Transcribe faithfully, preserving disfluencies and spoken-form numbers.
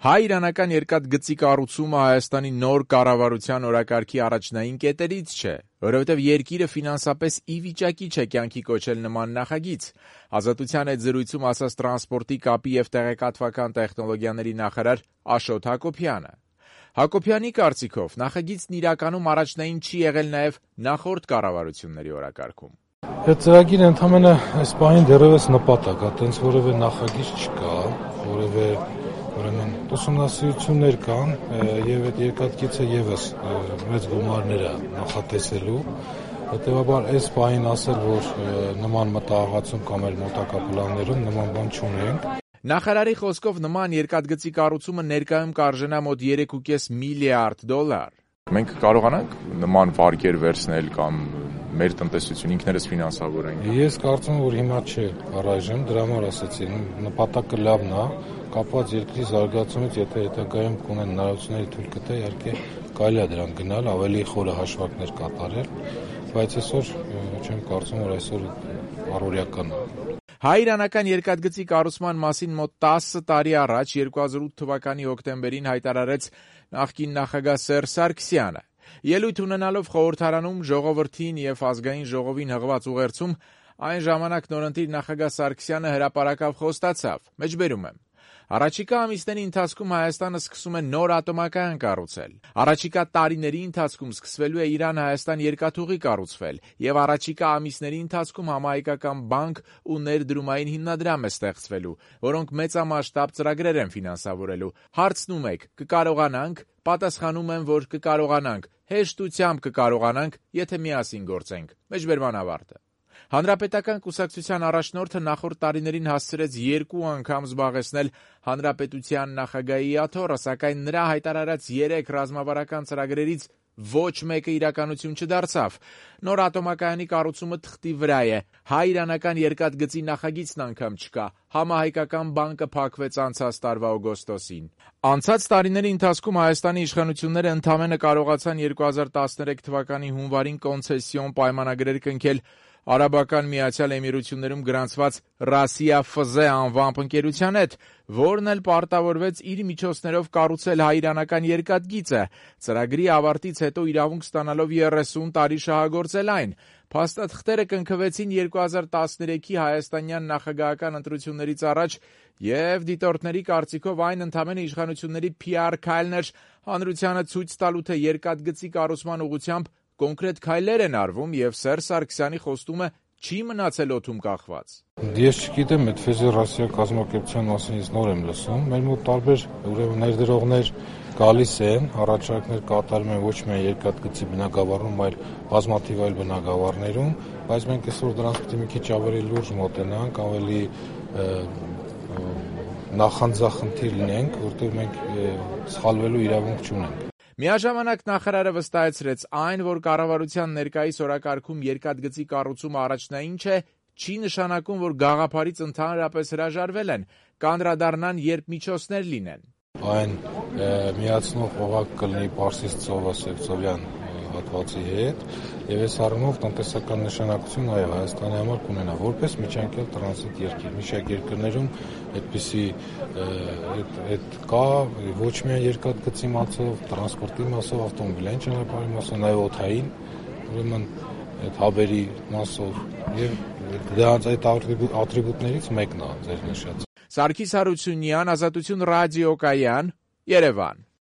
Հայ-իրանական երկաթգծի կառուցումը Հայաստանի նոր կառավարության օրակարգի առաջնային կետերից չէ, որովհետև երկիրը ֆինանսապես ի վիճակի չէ կյանքի կոչել նման նախագիծ։ Ազատության հետ զրույցում ասաց տրանսպորտի, կապի և տեղեկատվական տեխնոլոգիաների նախարար Աշոտ Հակոբյանը։ Հակոբյանի կարծիքով նախագիծն իրականում առաջնային չի եղել նաև նախորդ կառավարությունների օրակարգում։ Այդ ծրագիրը ընդամենը այս պահին դեռևս նպատակ է, տենց որևէ նախագիծ չկա, որևէ ուրեմն ուսումնասիրություններ կան եւ այդ երկաթգիծը եւս մեծ գումարներ է նախատեսելու, հետեւաբար այս պահին ասել, որ նման մտահղացում կամ էլ մոտակա պլաններում նման բան չունենք։ Նախարարի խոսքով նման երկաթգծի կառուցումը ներկայում կարժենա մոտ երեք ու կես միլիարդ դոլար։ Մենք կարողանանք նման վարկեր վերցնել կամ մեր տնտեսություն ինքներս ֆինանսավորենք։ Ես կարծում եմ, որ հիմա չէ առայժմ, դրա համար ասացի, նպատակը լավն է, կապված երկրի զարգացումից, եթե հետագայում կունեն հնարավորություններ թույլ կտա, իհարկե կարելի է դրան գնալ, ավելի խորը հաշվարկներ կատարել, բայց այսօր չեմ կարծում, որ այսօր առօրյական է։ Հայ-իրանական երկաթգծի կառուցման մասին մոտ տասը տարի առաջ երկու հազար ութ թվականի հոկտեմբերին հայտարարեց նախկին նախագահ Սերժ Սարգսյանը։ Ելույթ ունենալով խորհրդարանում ժողովրդին և ազգային ժողովին հղված ուղերձում, այն ժամանակ նորընտիր նախագահ Սարգսյանը հրապարակավ խոստացավ. մեջբերում եմ. Առաջիկա ամիսների ընթացքում Հայաստանը սկսում է նոր ատոմակայան կառուցել։ Առաջիկա տարիների ընթացքում սկսվելու է Իրան-Հայաստան երկաթուղի կառուցվել եւ առաջիկա ամիսների ընթացքում համահայկական բանկ ու ներդրումային հիմնադրամ է ստեղծվելու, որոնք մեծամասշտաբ ծրագրեր են ֆինանսավորելու։ Հարցնում եք՝ կկարողանանք։ Պատասխանում եմ, որ կկարողանանք, հեշտությամբ կկարողանանք, եթե միասին գործենք։ Մեջբերման ավարտը։ Հանրապետական կուսակցության առաջնորդը նախորդ տարիներին հասցրեց երկու անգամ զբաղեցնել հանրապետության նախագահի աթոռը, սակայն նրա հայտարարած երեք ռազմավարական ծրագրերից ոչ մեկը իրականություն չդարձավ։ Նոր ատոմակայանի կառուցումը թղթի վրա է, հայ-իրանական երկաթգծի նախագիծն անգամ չկա, համահայկական բանկը փակվեց անցած տարվա օգոստոսին։ Անցած տարիների ընթացքում Հայաստանի իշխանությունները ընդամենը կարողացան երկու հազար տասներեք թվականի հունվարին կոնցեսիոն պայմանագրեր կնքել Արաբական Միացյալ Էմիրություններում գրանցված Ռասիա Ֆ Զ անվամբ ընկերության հետ, որն էլ պարտավորվեց իր միջոցներով կառուցել հայ-իրանական երկաթգիծը, ծրագրի ավարտից հետո իրավունք ստանալով երեսուն տարի շահագործել այն։ Փաստաթղթերը կնքվեցին երկու հազար տասներեքի հայաստանյան նախագահական ընտրություններից առաջ և դիտորդների կարծիքով այն ընդամենը իշխանությունների Փ R քայլն էր հանրությանը ցույց տալու, թե երկաթգծի կառուցման ուղղությամբ կոնկրետ քայլեր են արվում և Սերժ Սարգսյանի խոստումը չի մնացել օդում կախված։ Ես չգիտեմ, այդ ֆեդերացիա կազմակերպության մասին ես նոր եմ լսում, մեր մոտ տարբեր ուրեմն ներդրողներ գալիս են, առաջարկներ կատարում են ոչ միայն երկաթգծի բնագավառում, այլ բազմաթիվ այլ բնագավառներում, բայց մենք այսօր դրանց պետք է մի քիչ ավելի լուրջ մոտենանք, ավելի նախանձախնդիր լինենք, որտեղ մենք սխալվելու իրավունք չունենք։ Միաժամանակ նախարարը վստահեցրեց այն, որ կառավարության ներկայիս օրակարգում երկաթգծի կառուցումը առաջնային չէ, չի նշանակում, որ գաղափարից ընդհանրապես հրաժարվել են, կանդրադառնան, երբ միջոցներ լինեն։ Այն միացնող օղակ կլինի Պարսից ծովը Սևծովյան հատվածի հետ եւ այս առումով տնտեսական նշանակություն այո Հայաստանի համար կունենա որպես միջանկյալ տրանզիտ երկիր։ Մի շարք երկրներում այդպիսի այդ կա ոչ միայն երկաթգծի մասով, տրանսպորտի մասով, ավտոմոբիլային ճանապարհի մասով, նաեւ օդային, ուրեմն այդ հաբերի մասով եւ դրանց այդ ատրիբուտներից մեկն է ձեր նշած։ Սարգիս Հարությունյան, Ազատություն ռադիոկայան, Երևան։